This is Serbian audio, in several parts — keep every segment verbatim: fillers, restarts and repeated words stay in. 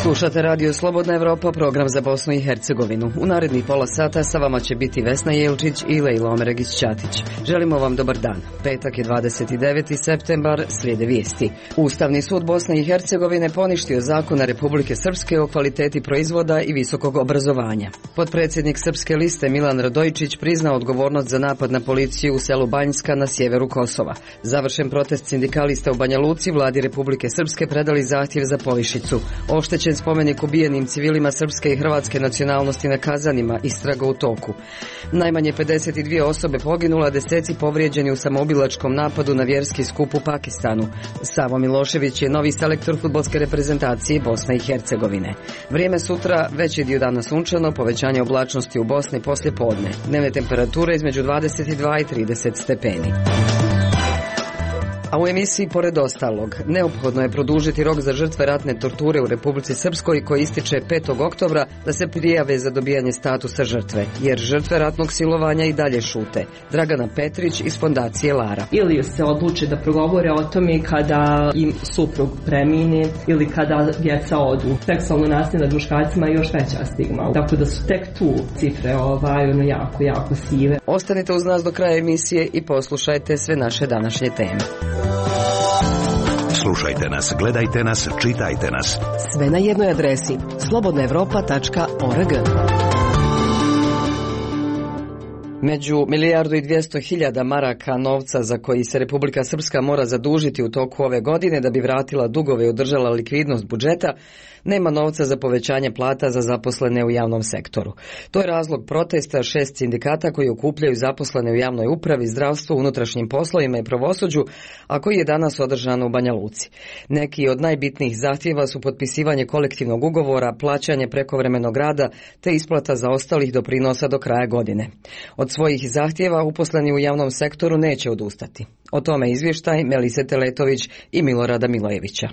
Slušate radio Slobodna Evropa, program za Bosnu i Hercegovinu. U narednih pola sata sa vama će biti Vesna Jelčić i Lejla Omeregić-Ćatić. Želimo vam dobar dan. Petak je dvadeset deveti septembar, slijede vijesti. Ustavni sud Bosne i Hercegovine poništio zakona Republike Srpske o kvaliteti proizvoda i visokog obrazovanja. Potpredsjednik Srpske liste Milan Radojičić priznao odgovornost za napad na policiju u selu Banjska na sjeveru Kosova. Završen protest sindikalista u Banja Luci, vladi Republike Srpske predali zahtjev za povišicu. Oštećen spomenik ubijenim civilima srpske i hrvatske nacionalnosti na Kazanima, istraga u toku. Najmanje pedeset dvije osobe poginula, deseci povrijeđeni u samoubilačkom napadu na vjerski skup u Pakistanu. Savo Milošević je novi selektor fudbalske reprezentacije Bosne i Hercegovine. Vrijeme sutra, veći dio dana sunčano, povećanje oblačnosti u Bosni poslje podne. Dnevne temperature između dvadeset dva i trideset stepeni. A u emisiji pored ostalog, neophodno je produžiti rok za žrtve ratne torture u Republici Srpskoj koji ističe petog oktobra da se prijave za dobijanje statusa žrtve, jer žrtve ratnog silovanja i dalje šute. Dragana Petrić iz fondacije Lara. Ili se odluče da progovore o tome kada im suprug premine ili kada djeca odu. Seksualno nasilje nad muškarcima je još veća stigma. Tako da su tek tu cifre ovaj, ono jako, jako sive. Ostanite uz nas do kraja emisije i poslušajte sve naše današnje teme. Slušajte nas, gledajte nas, čitajte nas. Sve na jednoj adresi slobodna evropa tačka org. Među milijardu i dvjesto hiljada maraka novca za koji se Republika Srpska mora zadužiti u toku ove godine da bi vratila dugove i održala likvidnost budžeta, nema novca za povećanje plata za zaposlene u javnom sektoru. To je razlog protesta šest sindikata koji okupljaju zaposlene u javnoj upravi, zdravstvu, unutrašnjim poslovima i pravosuđu, a koji je danas održan u Banja Luci. Neki od najbitnijih zahtjeva su potpisivanje kolektivnog ugovora, plaćanje prekovremenog rada te isplata zaostalih doprinosa do kraja godine. Od svojih zahtjeva uposleni u javnom sektoru neće odustati. O tome izvještaj Melise Teletović i Milorada Milojevića.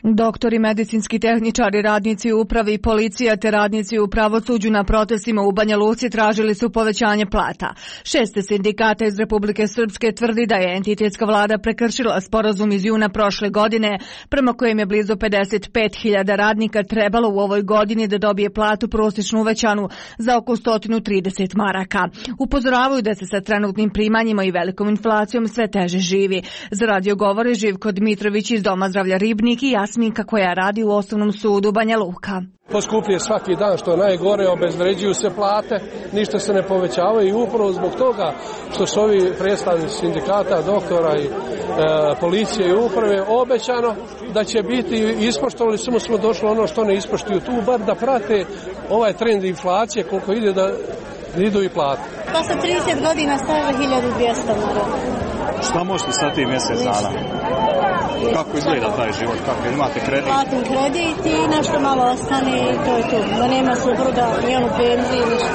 Doktori, medicinski tehničari, radnici u upravi i policija te radnici u pravosuđu na protestima u Banja Luci tražili su povećanje plata. Šest sindikata iz Republike Srpske tvrdi da je entitetska vlada prekršila sporazum iz juna prošle godine, prema kojem je blizu pedeset pet hiljada radnika trebalo u ovoj godini da dobije platu prosječno uvećanu za oko sto trideset maraka. Upozoravaju da se sa trenutnim primanjima i velikom inflacijom sve teže živi. Za radio govore Živko Dmitrović iz Doma zdravlja Ribnik i Jasminka koja radi u Osnovnom sudu Banja Luka. Poskupljuje svaki dan, što je najgore, obezvređuju se plate, ništa se ne povećavaju i upravo zbog toga što su ovi predstavnici sindikata, doktora i e, policije i uprave obećano da će biti ispoštovali, samo smo došli ono što ne ispoštuju tu, bar da prate ovaj trend inflacije koliko ide da idu i plate. Posle trideset godina stavila hiljadu dvjesto maraka. Šta možete sa tim mjesec dana? Kako izgleda taj život? Kako imate kredit? Platim kredit i nešto malo ostane i to je to. Da nema supruga, ni onu penziju, ništa.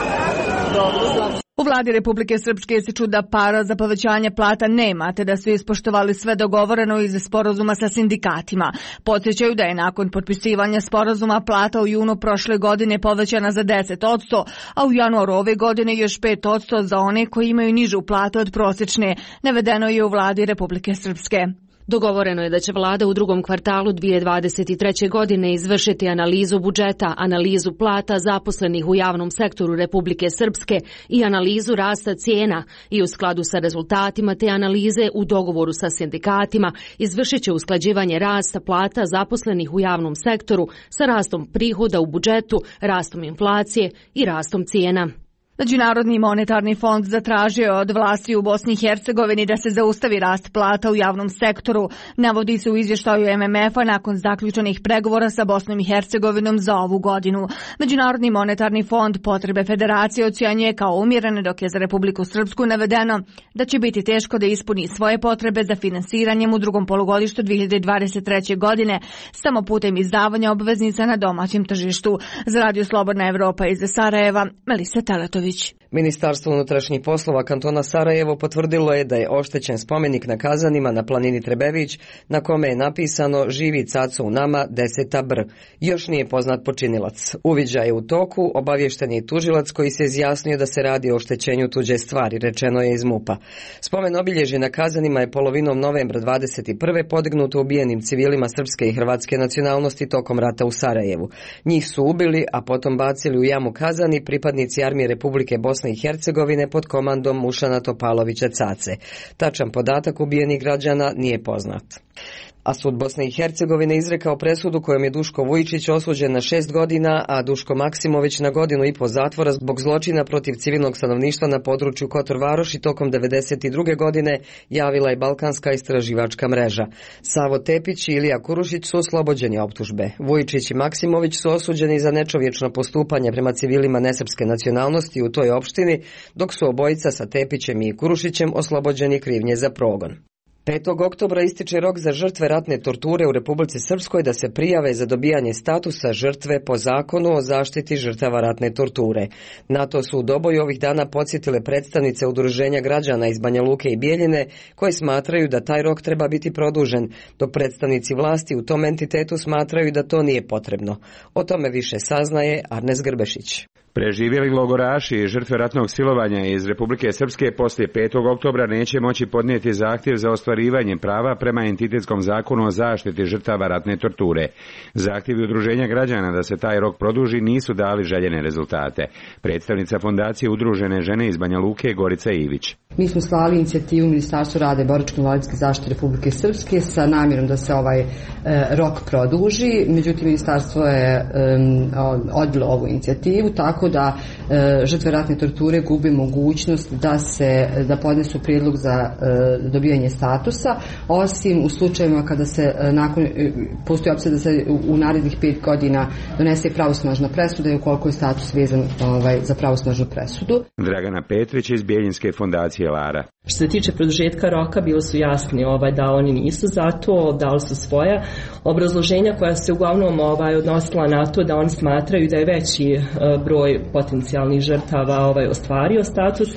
Dobro, slabo. U vladi Republike Srpske ističu da para za povećanje plata nema, te da su ispoštovali sve dogovoreno iz sporazuma sa sindikatima. Podsjećaju da je nakon potpisivanja sporazuma plata u junu prošle godine povećana za deset posto, a u januaru ove godine još pet posto za one koji imaju nižu platu od prosječne, navedeno je u vladi Republike Srpske. Dogovoreno je da će vlada u drugom kvartalu dvije tisuće dvadeset treće. godine izvršiti analizu budžeta, analizu plata zaposlenih u javnom sektoru Republike Srpske i analizu rasta cijena i u skladu sa rezultatima te analize u dogovoru sa sindikatima izvršit će usklađivanje rasta plata zaposlenih u javnom sektoru sa rastom prihoda u budžetu, rastom inflacije i rastom cijena. Međunarodni monetarni fond zatražio je od vlasti u Bosni i Hercegovini da se zaustavi rast plata u javnom sektoru, navodi se u izvještaju M M F-a nakon zaključenih pregovora sa Bosnom i Hercegovinom za ovu godinu. Međunarodni monetarni fond potrebe federacije ocjenjuje kao umjerene, dok je za Republiku Srpsku navedeno da će biti teško da ispuni svoje potrebe za finansiranjem u drugom polugodištu dvije hiljade dvadeset treće. godine samo putem izdavanja obveznica na domaćem tržištu. Za Radio Slobodna Evropa iz Sarajeva, Melisa Teletović. Đorđević. Ministarstvo unutrašnjih poslova kantona Sarajevo potvrdilo je da je oštećen spomenik na Kazanima na planini Trebević, na kome je napisano "Živi caco u nama, deseta br". Još nije poznat počinilac. Uviđaj je u toku, obavješten je tužilac koji se izjasnio da se radi o oštećenju tuđe stvari, rečeno je iz MUP-a. Spomen obilježje na Kazanima je polovinom novembra dvadeset prve podignuto ubijenim civilima srpske i hrvatske nacionalnosti tokom rata u Sarajevu. Njih su ubili, a potom bacili u jamu Kazani pripadnici Armije Republike Bosne i Hercegovine pod komandom Mušana Topalovića Cace. Tačan podatak ubijenih građana nije poznat. A sud Bosne i Hercegovine izrekao presudu kojom je Duško Vujičić osuđen na šest godina, a Duško Maksimović na godinu i po zatvora zbog zločina protiv civilnog stanovništva na području Kotor Varoši tokom devedeset druge godine, javila je Balkanska istraživačka mreža. Savo Tepić i Ilija Kurušić su oslobođeni optužbe. Vujičić i Maksimović su osuđeni za nečovječno postupanje prema civilima nesrpske nacionalnosti u toj opštini, dok su obojica sa Tepićem i Kurušićem oslobođeni krivnje za progon. petog oktobra ističe rok za žrtve ratne torture u Republici Srpskoj da se prijave za dobijanje statusa žrtve po zakonu o zaštiti žrtava ratne torture. Na to su u Doboju ovih dana podsjetile predstavnice Udruženja građana iz Banja Luke i Bijeljine, koje smatraju da taj rok treba biti produžen, dok predstavnici vlasti u tom entitetu smatraju da to nije potrebno. O tome više saznaje Arnes Grbešić. Preživjeli logoraši i žrtve ratnog silovanja iz Republike Srpske poslije petog oktobra neće moći podnijeti zahtjev za ostvarivanje prava prema entitetskom zakonu o zaštiti žrtava ratne torture. Zahtjevi Udruženja građana da se taj rok produži nisu dali željene rezultate. Predstavnica fondacije Udružene žene iz Banja Luke Gorica Ivić. Mi smo slali inicijativu Ministarstvu rada i boračko-invalidske zaštite Republike Srpske sa namjerom da se ovaj e, rok produži, međutim Ministarstvo je e, odbilo ovu inicijativu, tako da e, žrtve ratne torture gube mogućnost da se da podnesu prijedlog za e, dobijanje statusa, osim u slučajevima kada se e, nakon e, postoji opcija da se u, u narednih pet godina donese pravosnažna presuda i ukoliko je status vezan ovaj, za pravosnažnu presudu. Dragana Petrić iz Bijeljinske fondacije Lara. Što se tiče produžetka roka, bilo su jasni ovaj, da oni nisu za to, dali su svoja obrazloženja koja se uglavnom ovaj, odnosila na to da oni smatraju da je veći e, broj potencijalnih žrtava ovaj, ostvario status,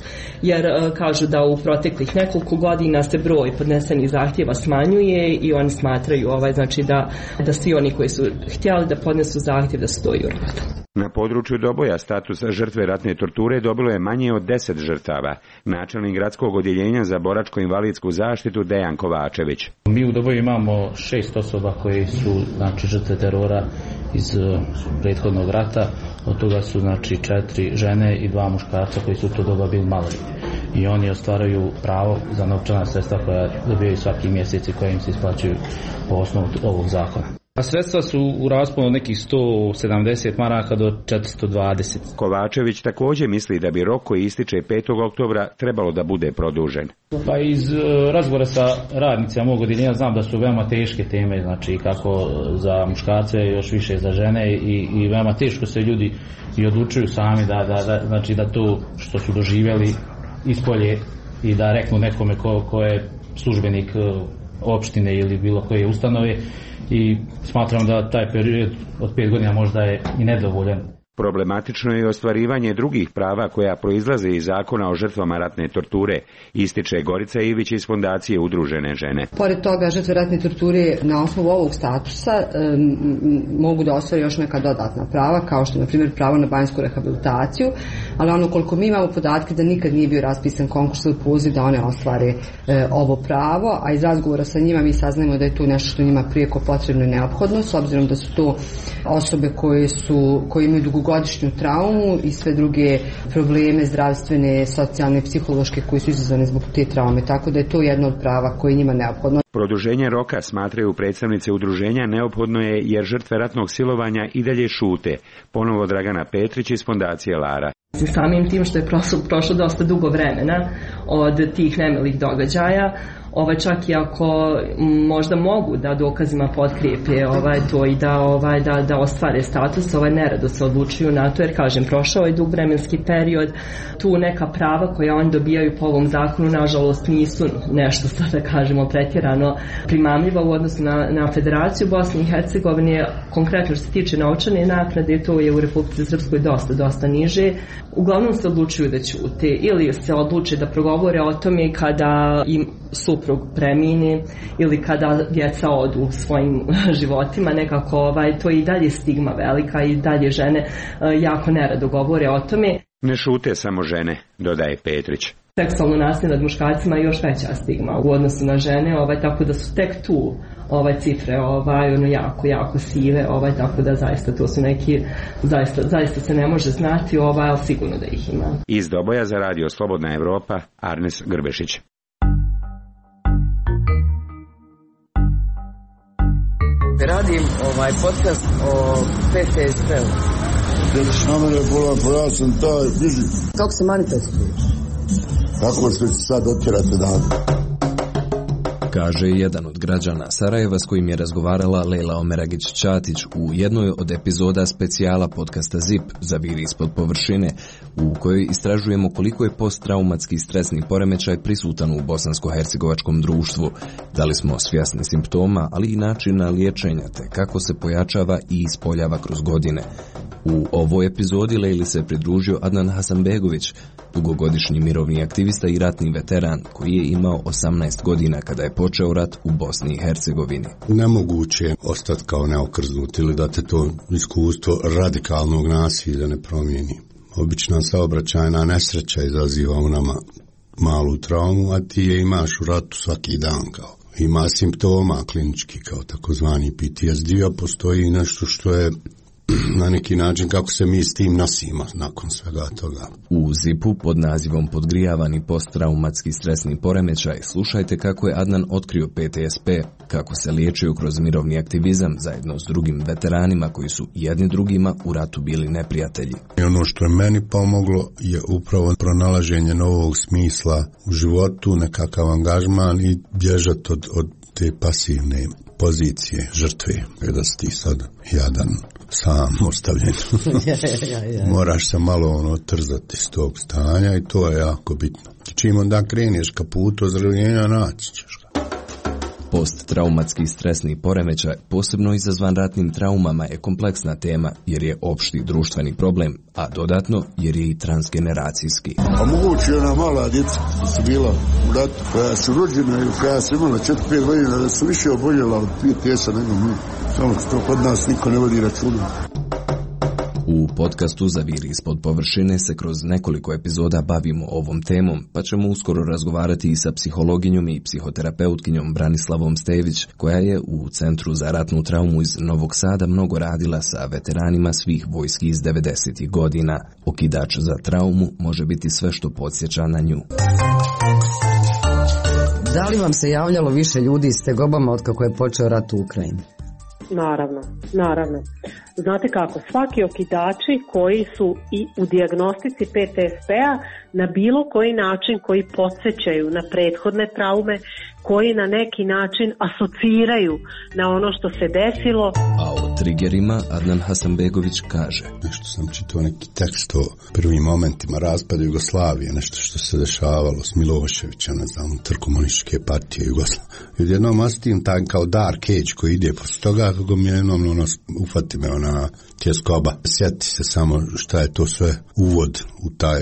jer e, kažu da u proteklih nekoliko godina se broj podnesenih zahtjeva smanjuje i oni smatraju ovaj, znači da, da svi oni koji su htjeli da podnesu zahtjev da su to i uradili. Na području Doboja status žrtve ratne torture dobilo je manje od deset žrtava. Načelnik gradskog odjeljenja za boračko-invalidsku zaštitu Dejan Kovačević. Mi u Doboju imamo šest osoba koji su znači, žrtve terora iz uh, prethodnog rata. Od toga su znači četiri žene i dva muškarca koji su u to doba bili maloljetni. I oni ostvaraju pravo za novčana sredstva koja dobijaju svaki mjesec i koja im se isplaćuju po osnovu ovog zakona. A sredstva su u rasponu od nekih sto sedamdeset maraka do četiristo dvadeset. Kovačević također misli da bi rok koji ističe petog oktobra trebalo da bude produžen. Pa iz uh, razgovora sa radnicima mog odjeljenja znam da su veoma teške teme, znači kako za muškarce, još više za žene i, i veoma teško se ljudi i odlučuju sami da, da, da, znači da to što su doživjeli ispolje i da reknu nekome ko, ko je službenik uh, opštine ili bilo koje ustanove. I smatram da taj period od pet godina možda je i nedovoljan. Problematično je ostvarivanje drugih prava koja proizlaze iz zakona o žrtvama ratne torture, ističe Gorica Ivić iz fondacije Udružene žene. Pored toga, žrtve ratne torture na osnovu ovog statusa um, mogu da ostvare još neka dodatna prava, kao što je na primjer pravo na banjsku rehabilitaciju, ali ono koliko mi imamo podatke da nikad nije bio raspisan konkurs ili poziv da one ostvare e, ovo pravo, a iz razgovora sa njima mi saznajemo da je to nešto što njima prijeko potrebno i neophodno, s obzirom da su to osobe koje su koje imaju dugo godišnju traumu i sve druge probleme zdravstvene, socijalne, psihološke koji su izazvane zbog te traume, tako da je to jedno od prava koje je njima neophodno. Produženje roka, smatraju predstavnice udruženja, neophodno je jer žrtve ratnog silovanja i dalje šute. Ponovo Dragana Petrić iz fondacije Lara. Samim tim što je prošlo, prošlo dosta dugo vremena od tih nemilih događaja, ovaj, čak i ako možda mogu da dokazima potkrijepe ovaj, to i da, ovaj, da, da ostvare status, ovaj, nerado se odlučuju na to, jer kažem, prošao je dug vremenski period, tu neka prava koja oni dobijaju po ovom zakonu, nažalost, nisu nešto, da kažemo, pretjerano primamljiva u odnosu na, na Federaciju Bosne i Hercegovine. Konkretno što se tiče novčane naknade, to je u Republici Srpskoj dosta, dosta niže. Uglavnom se odlučuju da ćute ili se odluče da progovore o tome kada im suprug premine ili kada djeca odu svojim životima. Nekako ovaj, to je i dalje stigma velika i dalje žene jako nerado govore o tome. Ne šute samo žene, dodaje Petrić. Seksualno nasilje nad muškarcima je još veća stigma u odnosu na žene, ovaj, tako da su tek tu ovaj, cifre ovaj, ono, jako, jako sive, ovaj, tako da zaista to su neki, zaista, zaista se ne može znati, ovaj, ali sigurno da ih ima. Iz Doboja za radio Slobodna Evropa, Arnes Grbešić. Radim ovaj podcast o P T S P-u. Reći na mene bolan, pa ja sam taj bliži. Kako se manifestuješ? Tako što će sad otjerati dan. Kaže jedan od građana Sarajeva s kojim je razgovarala Lejla Omeragić-Ćatić u jednoj od epizoda specijala podcasta ZIP Zaviri ispod površine, u kojoj istražujemo koliko je posttraumatski stresni poremećaj prisutan u bosansko-hercegovačkom društvu, da li smo svjesni simptoma, ali i načina liječenja, te kako se pojačava i ispoljava kroz godine. U ovoj epizodi Lejli se pridružio Adnan Hasanbegović, dugogodišnji mirovni aktivista i ratni veteran koji je imao osamnaest godina kada je počeo rat u Bosni i Hercegovini. Nemoguće je ostati kao neokrznut ili da te to iskustvo radikalnog nasilja ne promijeni. Obična saobraćajna nesreća izaziva u nama malu traumu, a ti je imaš u ratu svaki dan kao. Ima simptoma klinički kao takozvani P T S D, a postoji nešto što je na neki način kako se mi s tim nosimo nakon svega toga. U zipu pod nazivom Podgrijavani posttraumatski stresni poremećaj slušajte kako je Adnan otkrio P T S P, kako se liječio kroz mirovni aktivizam zajedno s drugim veteranima koji su jedni drugima u ratu bili neprijatelji. I ono što je meni pomoglo je upravo pronalaženje novog smisla u životu, nekakav angažman i bježati od, od te pasivne pozicije žrtve, kada si ti sad jadan, sam ostavljen. Moraš se malo ono trzati iz tog stanja i to je jako bitno. Čim onda kreneš ka putu ozdravljenja, naći ćeš ga. Posttraumatski stresni poremećaj, posebno izazvan ratnim traumama, je kompleksna tema jer je opšti društveni problem, a dodatno jer je i transgeneracijski. A moguće je ona mala djeca koja su bila u ratu, koja su rođena ili koja su imala četiri pet godina, da su više oboljela od P T S-a nego mi. Samo što kod nas niko ne vodi računa. U podcastu Zaviri ispod površine se kroz nekoliko epizoda bavimo ovom temom, pa ćemo uskoro razgovarati i sa psihologinjom i psihoterapeutkinjom Branislavom Stević, koja je u Centru za ratnu traumu iz Novog Sada mnogo radila sa veteranima svih vojski iz devedesetih godina. Okidač za traumu može biti sve što podsjeća na nju. Da li vam se javljalo više ljudi s tegobama od kako je počeo rat u Ukrajini? Naravno, naravno. Znate kako, svaki okidači koji su i u dijagnostici P T S P-a na bilo koji način koji podsjećaju na prethodne traume, koji na neki način asociraju na ono što se desilo. A o trigerima Adnan Hasanbegović kaže: nešto sam čitao neki tekst o prvim momentima raspada Jugoslavije, nešto što se dešavalo s Miloševića, ne znam, unutar komunističke partije Jugoslavije. I odjednom osjetim taj kao dark age koji ide posle toga, kako mi jednom ono, ufati me ona tjeskoba. Sjeti se samo šta je to sve uvod u taj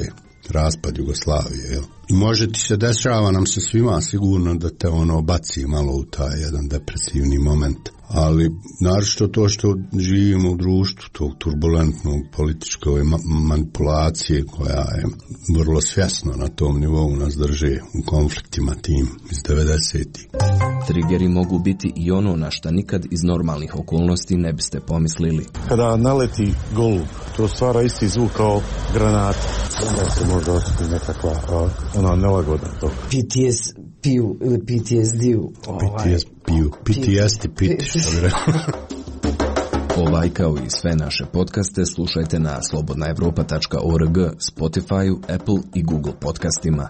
raspad Jugoslavije, jel? I može ti se dešava nam se svima sigurno da te ono baci malo u taj jedan depresivni moment. Ali naročito to što živimo u društvu tog turbulentnog političke manipulacije koja je vrlo svjesno na tom nivou nas drže u konfliktima tim iz devedesetih. Trigeri mogu biti i ono na šta nikad iz normalnih okolnosti ne biste pomislili. Kada naleti golub, to stvara isti zvuk kao granata. Onda se može osjetiti nekakva ona nelagoda. P T S P-u ili P T S D-u. P T S P-u. P T S D-pit. Ovaj kao i sve naše podcaste slušajte na slobodna evropa tačka org, Spotify, Apple i Google podcastima.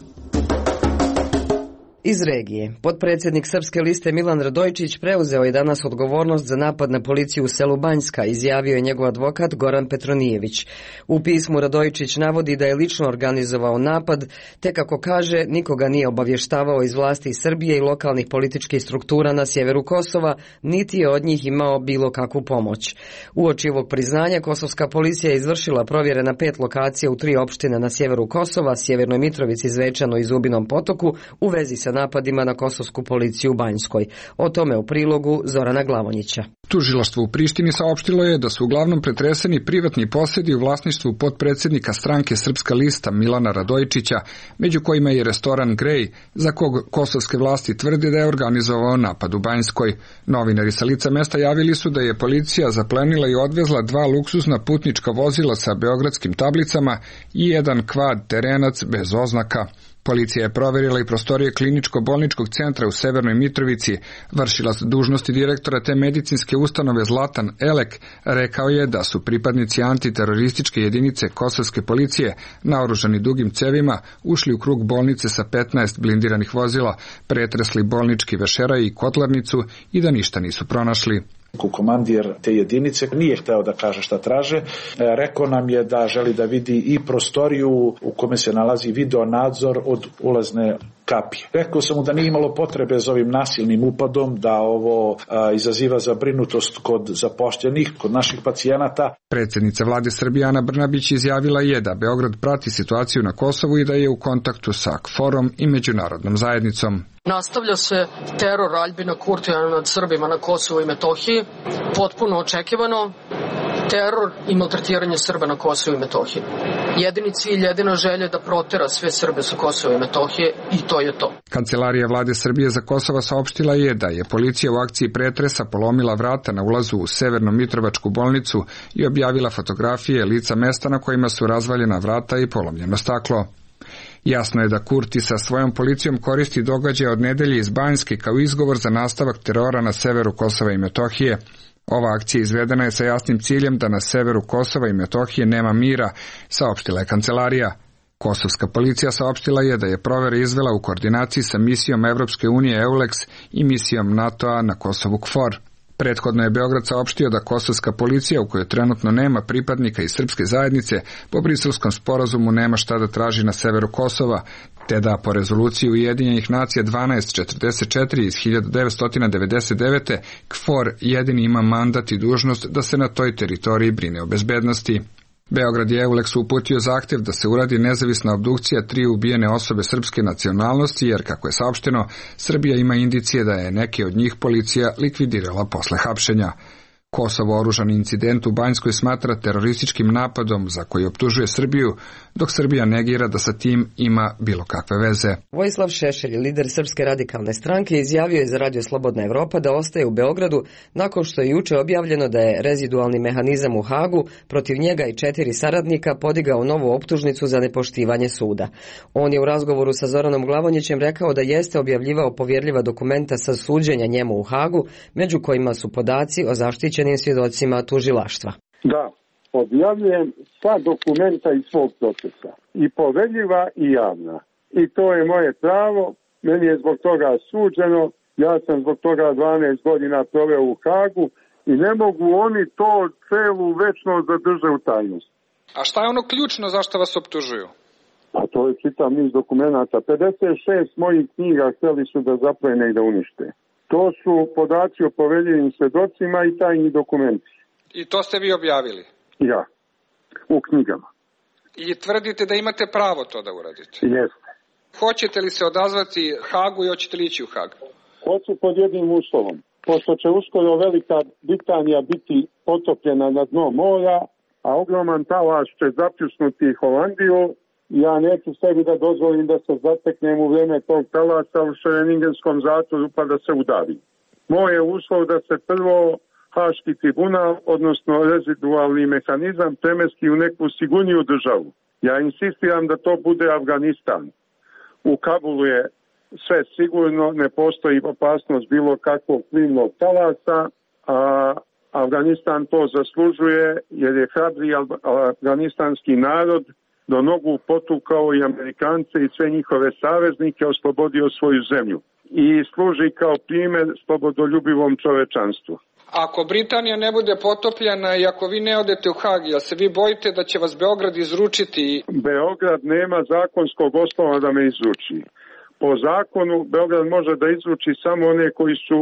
Iz regije, potpredsjednik Srpske liste Milan Radojčić preuzeo je danas odgovornost za napad na policiju u selu Banjska, izjavio je njegov advokat Goran Petronijević. U pismu Radojčić navodi da je lično organizovao napad, te kako kaže, nikoga nije obavještavao iz vlasti Srbije i lokalnih političkih struktura na sjeveru Kosova, niti je od njih imao bilo kakvu pomoć. Uoči ovog priznanja, kosovska policija je izvršila provjere na pet lokacija u tri opštine na sjeveru Kosova, Sjevernoj Mitrovici, Zvečanu i Zubinom Potoku, u vezi sa napadima na kosovsku policiju u Banjskoj. O tome u prilogu Zorana Glavonjića. Tužilaštvo u Prištini saopštilo je da su uglavnom pretreseni privatni posjedi u vlasništvu potpredsjednika stranke Srpska lista Milana Radojčića, među kojima je restoran Grej, za kog kosovske vlasti tvrde da je organizovao napad u Banjskoj. Novinari sa lica mesta javili su da je policija zaplenila i odvezla dva luksuzna putnička vozila sa beogradskim tablicama i jedan kvad terenac bez oznaka. Policija je proverila i prostorije kliničko-bolničkog centra u Severnoj Mitrovici. Vršilac dužnosti direktora te medicinske ustanove Zlatan Elek rekao je da su pripadnici antiterorističke jedinice kosovske policije, naoružani dugim cevima, ušli u krug bolnice sa petnaest blindiranih vozila, pretresli bolnički vešeraj i kotlarnicu i da ništa nisu pronašli. Komandir te jedinice nije hteo da kaže šta traže. Rekao nam je da želi da vidi i prostoriju u kome se nalazi video nadzor od ulazne kapije. Rekao sam mu da nije imalo potrebe za ovim nasilnim upadom, da ovo a, izaziva zabrinutost kod zapošljenih, kod naših pacijenata. Predsjednica vlade Srbije Ana Brnabić izjavila je da Beograd prati situaciju na Kosovu i da je u kontaktu sa KFOR-om i međunarodnom zajednicom. Nastavlja se teror Aljbina Kurtija nad Srbima na Kosovu i Metohiji, potpuno očekivano. Teror i maltretiranje Srba na Kosovu i Metohiji. Jedini cilj, jedina želja da protera sve Srbe sa Kosova i Metohije i to je to. Kancelarija vlade Srbije za Kosovo saopštila je da je policija u akciji pretresa polomila vrata na ulazu u Severnu Mitrovačku bolnicu i objavila fotografije lica mesta na kojima su razvaljena vrata i polomljeno staklo. Jasno je da Kurti sa svojom policijom koristi događaje od nedelje iz Banjske kao izgovor za nastavak terora na severu Kosova i Metohije. Ova akcija izvedena je sa jasnim ciljem da na severu Kosova i Metohije nema mira, saopštila je kancelarija. Kosovska policija saopštila je da je provere izvela u koordinaciji sa misijom Evropske unije EULEX i misijom NATO-a na Kosovu KFOR. Prethodno je Beograd saopštio da kosovska policija, u kojoj trenutno nema pripadnika iz srpske zajednice, po Briselskom sporazumu nema šta da traži na severu Kosova, te da po rezoluciji Ujedinjenih nacija dvanaest četrdeset četiri iz hiljadu devetsto devedeset devete KFOR jedini ima mandat i dužnost da se na toj teritoriji brine o bezbednosti. Beograd je EULEX uputio zahtjev da se uradi nezavisna obdukcija tri ubijene osobe srpske nacionalnosti, jer, kako je saopšteno, Srbija ima indicije da je neke od njih policija likvidirala posle hapšenja. Kosovo oružani incident u Banjskoj smatra terorističkim napadom za koji optužuje Srbiju, dok Srbija negira da sa tim ima bilo kakve veze. Vojislav Šešelj, lider Srpske radikalne stranke, izjavio je za Radio Slobodna Evropa da ostaje u Beogradu nakon što je juče objavljeno da je rezidualni mehanizam u Hagu protiv njega i četiri saradnika podigao novu optužnicu za nepoštivanje suda. On je u razgovoru sa Zoranom Glavonjićem rekao da jeste objavljivao povjerljiva dokumenta sa suđenja njemu u Hagu, među kojima su podaci o zaštićenim svjedocima tužilaštva. Da, objavljujem sva dokumenta iz svog procesa, i poverljiva i javna. I to je moje pravo, meni je zbog toga suđeno, ja sam zbog toga dvanaest godina proveo u Hagu i ne mogu oni to celu večnost zadrže u tajnosti. A šta je ono ključno zašto vas optužuju? A to je čitav niz dokumenta. pedeset šest mojih knjiga htjeli su da zaplene i da unište. To su podaci o poveljivim svjedocima i tajni dokumenti. I to ste vi objavili? Ja, u knjigama. I tvrdite da imate pravo to da uradite? Jeste. Hoćete li se odazvati Hagu i hoćete li ići u Hag? Hoću pod jednim uslovom. Pošto će uskoro Velika Britanija biti potopljena na dno mora, a ogroman talaš će zapljusnuti Holandiju, ja neću sebi da dozvolim da se zateknem u vrijeme tog talasa u Šereningenskom zatvoru pa da se udavim. Moj je uslov da se prvo Haški tribunal, odnosno rezidualni mehanizam, premesti u neku sigurniju državu. Ja insistiram da to bude Afganistan. U Kabulu je sve sigurno, ne postoji opasnost bilo kakvog plimnog talasa, a Afganistan to zaslužuje jer je hrabri afganistanski narod do nogu potukao i Amerikance i sve njihove saveznike, oslobodio svoju zemlju i služi kao primjer slobodoljubivom čovečanstvu. Ako Britanija ne bude potopljena i ako vi ne odete u Hag, jel se vi bojite da će vas Beograd izručiti? Beograd nema zakonskog osnova da me izruči. Po zakonu Beograd može da izruči samo one koji su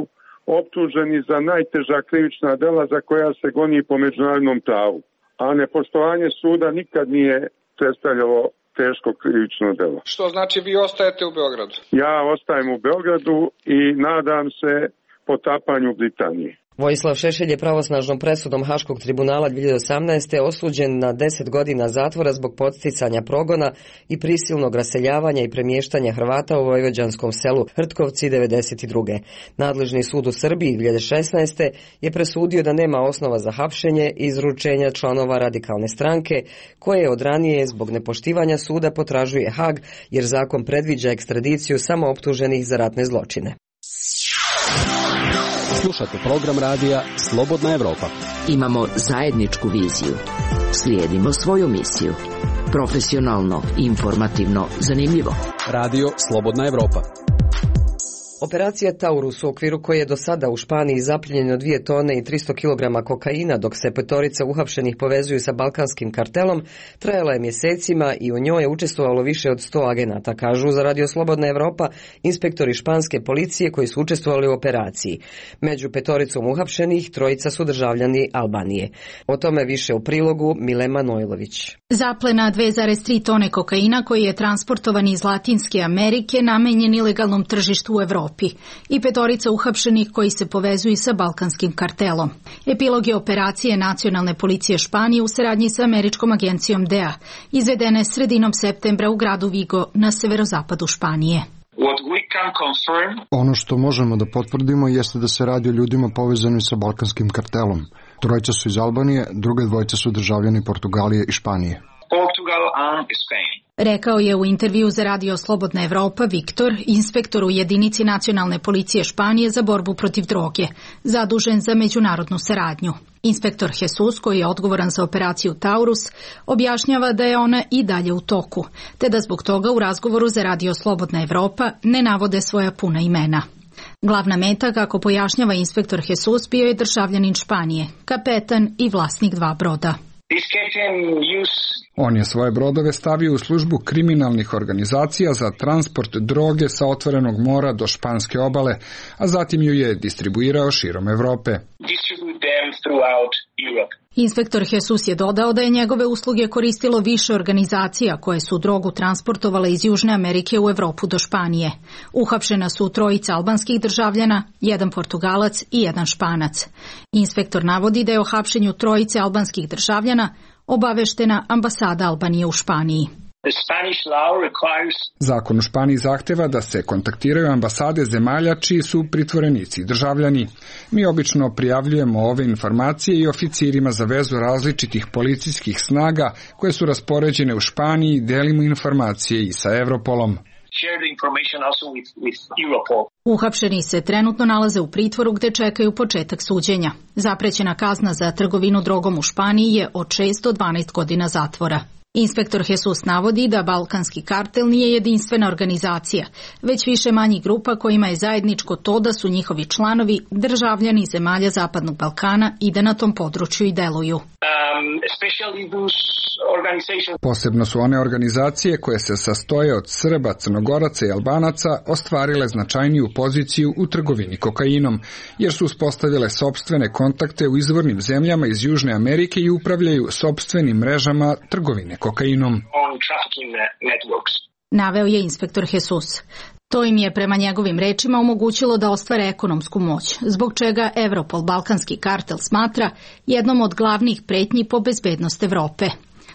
optuženi za najteža krivična dela za koja se goni po međunarodnom pravu. A nepoštovanje suda nikad nije predstavljalo teško krivično delo. Što znači vi ostajete u Beogradu? Ja ostajem u Beogradu i nadam se potapanju Britanije. Vojislav Šešelj je pravosnažnom presudom Haškog tribunala dvije hiljade osamnaeste. osuđen na deset godina zatvora zbog podsticanja progona i prisilnog raseljavanja i premještanja Hrvata u vojvođanskom selu Hrtkovci devedeset druge. Nadležni sud u Srbiji dvije hiljade šesnaeste. je presudio da nema osnova za hapšenje i izručenja članova radikalne stranke, koje od ranije zbog nepoštivanja suda potražuje Hag, jer zakon predviđa ekstradiciju samo optuženih za ratne zločine. Slušate program radija Slobodna Evropa. Imamo zajedničku viziju. Slijedimo svoju misiju. Profesionalno, informativno, zanimljivo. Radio Slobodna Evropa. Operacija Taurus, u okviru koje je do sada u Španiji zapljenjeno dvije tone i tristo kilograma kokaina, dok se petorica uhapšenih povezuju sa balkanskim kartelom, trajala je mjesecima i u njoj je učestvovalo više od sto agenata, kažu za Radio Slobodna Evropa inspektori španske policije koji su učestvovali u operaciji. Među petoricom uhapšenih trojica su državljani Albanije. O tome više u prilogu Mile Manojlović. Zaplena dve zarez tri tone kokaina koji je transportovan iz Latinske Amerike namenjen ilegalnom tržištu u Evropi i petorica uhapšenih koji se povezuju sa balkanskim kartelom. Epilog je operacije Nacionalne policije Španije u saradnji sa američkom agencijom D E A, izvedene sredinom septembra u gradu Vigo na severozapadu Španije. Ono što možemo da potvrdimo jeste da se radi o ljudima povezanim sa balkanskim kartelom. Trojica su iz Albanije, druge dvojice su državljani Portugalije i Španije. Rekao je u intervju za Radio Slobodna Evropa Viktor, inspektor u jedinici Nacionalne policije Španije za borbu protiv droge, zadužen za međunarodnu saradnju. Inspektor Jesus, koji je odgovoran za operaciju Taurus, objašnjava da je ona i dalje u toku, te da zbog toga u razgovoru za Radio Slobodna Evropa ne navode svoja puna imena. Glavna meta, kako pojašnjava inspektor Jesus, bio je državljanin Španije, kapetan i vlasnik dva broda. On je svoje brodove stavio u službu kriminalnih organizacija za transport droge sa otvorenog mora do španske obale, a zatim ju je distribuirao širom Evrope. Inspektor Jesus je dodao da je njegove usluge koristilo više organizacija koje su drogu transportovale iz Južne Amerike u Evropu do Španije. Uhapšena su trojica albanskih državljana, jedan Portugalac i jedan Španac. Inspektor navodi da je o hapšenju trojice albanskih državljana obaveštena ambasada Albanije u Španiji. Zakon u Španiji zahteva da se kontaktiraju ambasade zemalja čiji su pritvorenici i državljani. Mi obično prijavljujemo ove informacije i oficirima za vezu različitih policijskih snaga koje su raspoređene u Španiji, delimo informacije i sa Europolom. Uhapšeni se trenutno nalaze u pritvoru gde čekaju početak suđenja. Zaprećena kazna za trgovinu drogom u Španiji je od šest do dvanaest godina zatvora. Inspektor Jesus navodi da balkanski kartel nije jedinstvena organizacija, već više manjih grupa kojima je zajedničko to da su njihovi članovi državljani zemalja Zapadnog Balkana i da na tom području i deluju. Posebno su one organizacije koje se sastoje od Srba, Crnogoraca i Albanaca ostvarile značajniju poziciju u trgovini kokainom, jer su uspostavile sopstvene kontakte u izvornim zemljama iz Južne Amerike i upravljaju sopstvenim mrežama trgovine kokainom. Naveo je inspektor Jesus. To im je prema njegovim rečima omogućilo da ostvare ekonomsku moć, zbog čega Europol balkanski kartel smatra jednom od glavnih pretnji po bezbednost Evrope.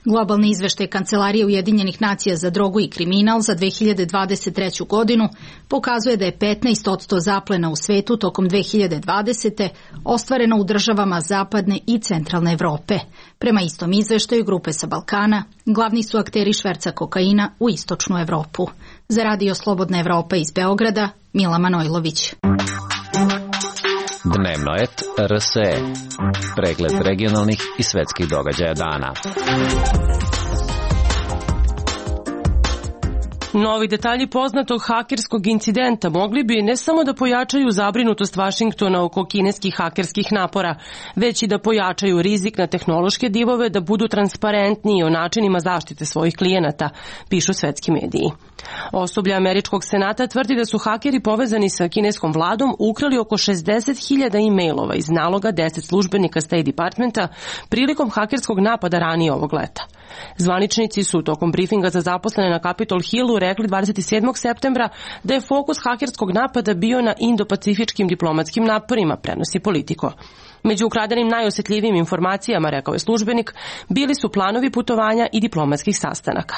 Globalni izveštaj Kancelarije Ujedinjenih nacija za drogu i kriminal za dve hiljade dvadeset treću godinu pokazuje da je petnaest posto zaplena u svetu tokom dve hiljade dvadesete ostvareno u državama zapadne i centralne Evrope. Prema istom izveštaju grupe sa Balkana, glavni su akteri šverca kokaina u istočnu Evropu. Za Radio Slobodna Evropa iz Beograda, Mila Manojlović. Dnevno et R S E. Pregled regionalnih i svetskih događaja dana. Novi detalji poznatog hakerskog incidenta mogli bi ne samo da pojačaju zabrinutost Vašingtona oko kineskih hakerskih napora, već i da pojačaju rizik na tehnološke divove da budu transparentniji o načinima zaštite svojih klijenata, pišu svetski mediji. Osoblje Američkog senata tvrdi da su hakeri povezani sa kineskom vladom ukrali oko šezdeset hiljada e-mailova iz naloga deset službenika State Departmenta prilikom hakerskog napada ranije ovog leta. Zvaničnici su tokom brifinga za zaposlene na Capitol Hillu rekli dvadeset sedmog septembra da je fokus hakerskog napada bio na indo-pacifičkim diplomatskim naporima, prenosi Politico. Među ukradenim najosjetljivijim informacijama, rekao je službenik, bili su planovi putovanja i diplomatskih sastanaka.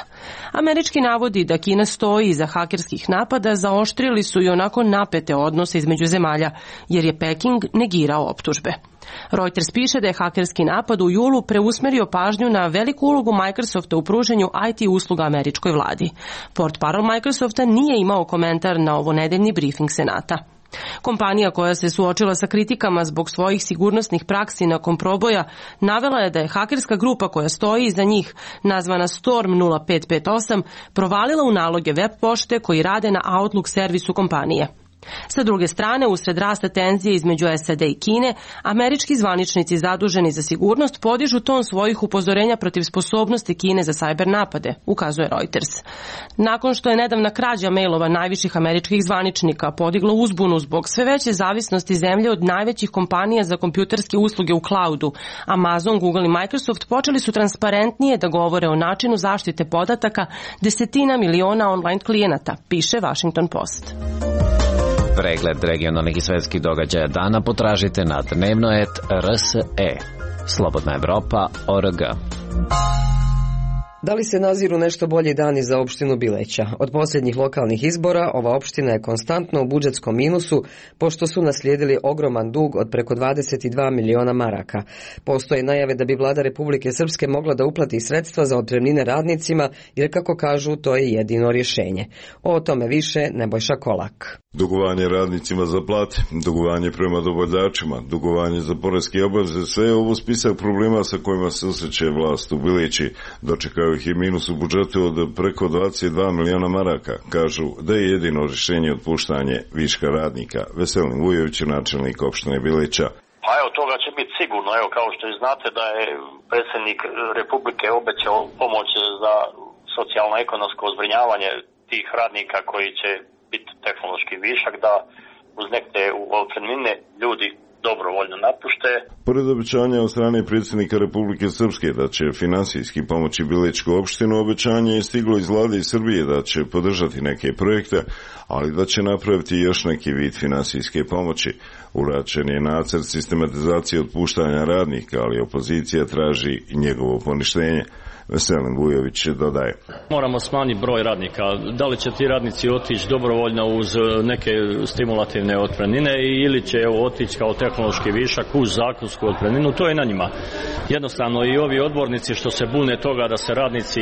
Američki navodi da Kina stoji iza hakerskih napada zaoštrili su i onako napete odnose između zemalja, jer je Peking negirao optužbe. Reuters piše da je hakerski napad u julu preusmerio pažnju na veliku ulogu Microsofta u pruženju I T usluga američkoj vladi. Portparol Microsofta nije imao komentar na ovo nedeljni briefing Senata. Kompanija koja se suočila sa kritikama zbog svojih sigurnosnih praksi nakon proboja navela je da je hakerska grupa koja stoji iza njih, nazvana Storm nula pet pet osam, provalila u naloge web pošte koji rade na Outlook servisu kompanije. Sa druge strane, usred rasta tenzije između S A D i Kine, američki zvaničnici zaduženi za sigurnost podižu ton svojih upozorenja protiv sposobnosti Kine za sajber napade, ukazuje Reuters. Nakon što je nedavna krađa mailova najviših američkih zvaničnika podigla uzbunu zbog sve veće zavisnosti zemlje od najvećih kompanija za kompjuterske usluge u cloudu, Amazon, Google i Microsoft počeli su transparentnije da govore o načinu zaštite podataka desetina miliona online klijenata, piše Washington Post. Pregled regionalnih i svetskih događaja dana potražite na dnevnoet R S E. Slobodna Evropa O R G. Da li se naziru nešto bolji dani za opštinu Bileća? Od posljednjih lokalnih izbora ova opština je konstantno u budžetskom minusu, pošto su naslijedili ogroman dug od preko dvadeset dva miliona maraka. Postoje najave da bi vlada Republike Srpske mogla da uplati sredstva za otpremnine radnicima, jer kako kažu, to je jedino rješenje. O tome više Nebojša Kolak. Dugovanje radnicima za plate, dugovanje prema dobavljačima, dugovanje za poreske obaveze, sve je ovo spisak problema sa kojima se susreće vlast u Bileći. Dočekaju ih i minus u budžetu od preko dvadeset dva miliona maraka. Kažu da je jedino rješenje otpuštanje viška radnika. Veselin Vujović, načelnik opštine Bileća. Pa evo, toga će biti sigurno. Evo, kao što i znate da je predsjednik Republike obećao pomoć za socijalno-ekonomsko zbrinjavanje tih radnika koji će biti tehnološki višak, da uz neke otpremnine ljudi dobrovoljno napušte. Pored obećanja od strane predsjednika Republike Srpske da će finansijski pomoći Bilečku opštinu, obećanje je stiglo iz vlade iz Srbije da će podržati neke projekte, ali da će napraviti još neki vid finansijske pomoći. Uračen je nacrt sistematizacije otpuštanja radnika, ali opozicija traži njegovo poništenje. Veselin Vujović dodaje. Moramo smanjiti broj radnika. Da li će ti radnici otići dobrovoljno uz neke stimulativne otpremnine ili će otići kao tehnološki višak uz zakonsku otpremninu, to je na njima. Jednostavno i ovi odbornici što se bune toga da se radnici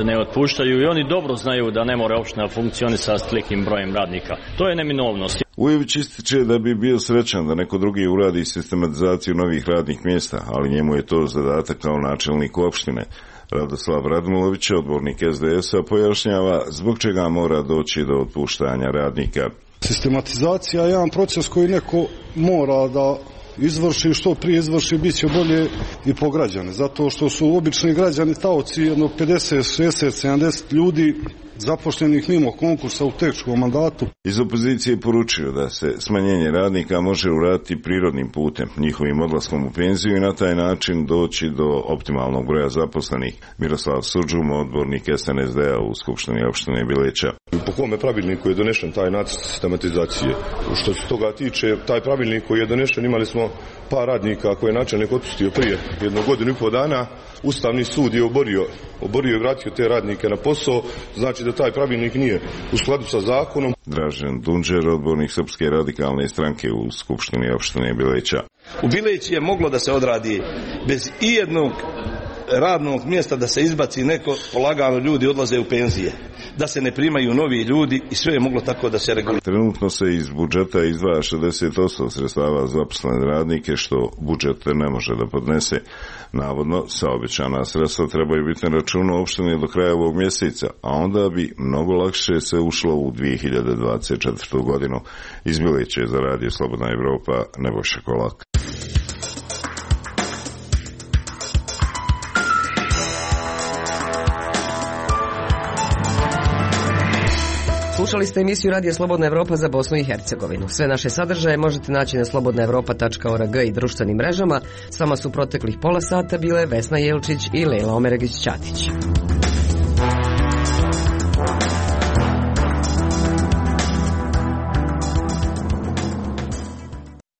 ne otpuštaju, i oni dobro znaju da ne more opština funkcionisati s tolikim brojem radnika. To je neminovnost. Vujović ističe da bi bio srećan da neko drugi uradi sistematizaciju novih radnih mjesta, ali njemu je to zadatak kao načelnik opštine. Radoslav Radmilović, odbornik S D S-a, pojašnjava zbog čega mora doći do otpuštanja radnika. Sistematizacija je jedan proces koji neko mora da izvrši, što prije izvrši, bit će bolje i po građane, zato što su obični građani taoci jedno pedeset, šezdeset, sedamdeset ljudi zapošljenih mimo konkursa u teškom mandatu. Iz opozicije poručio da se smanjenje radnika može uraditi prirodnim putem, njihovim odlaskom u penziju i na taj način doći do optimalnog broja zaposlenih. Miroslav Suđum, odbornik S N S D-a u Skupštini opštine Bileća. Po kome pravilniku je donešen taj nacrt sistematizacije? Što se toga tiče, taj pravilnik koji je donešen, imali smo par radnika koje je načelnik otpustio prije jednu godinu i pol dana. Ustavni sud je oborio, oborio i vratio te radnike na posao, znači da taj pravilnik nije u skladu sa zakonom. Dražen Dunđer, odbornik Srpske radikalne stranke u Skupštini opštine Bileća. U Bileći je moglo da se odradi bez ijednog radnog mjesta da se izbaci neko, polagano ljudi odlaze u penzije, da se ne primaju novi ljudi i sve je moglo tako da se regulira. Trenutno se iz budžeta izdvaja šezdeset posto sredstava za zaposlene radnike, što budžet ne može da podnese. Navodno, saobećana sredstva trebaju biti na računu opštine do kraja ovog mjeseca, a onda bi mnogo lakše se ušlo u dvije hiljade dvadeset četvrtu godinu. Iz Milića za Radio Slobodna Evropa, Nebojša Kolak. Slušali ste emisiju Radija Slobodna Evropa za Bosnu i Hercegovinu. Sve naše sadržaje možete naći na slobodna evropa tačka org i društvenim mrežama. S vama su proteklih pola sata bile Vesna Jelčić i Lejla Omeregić-Ćatić.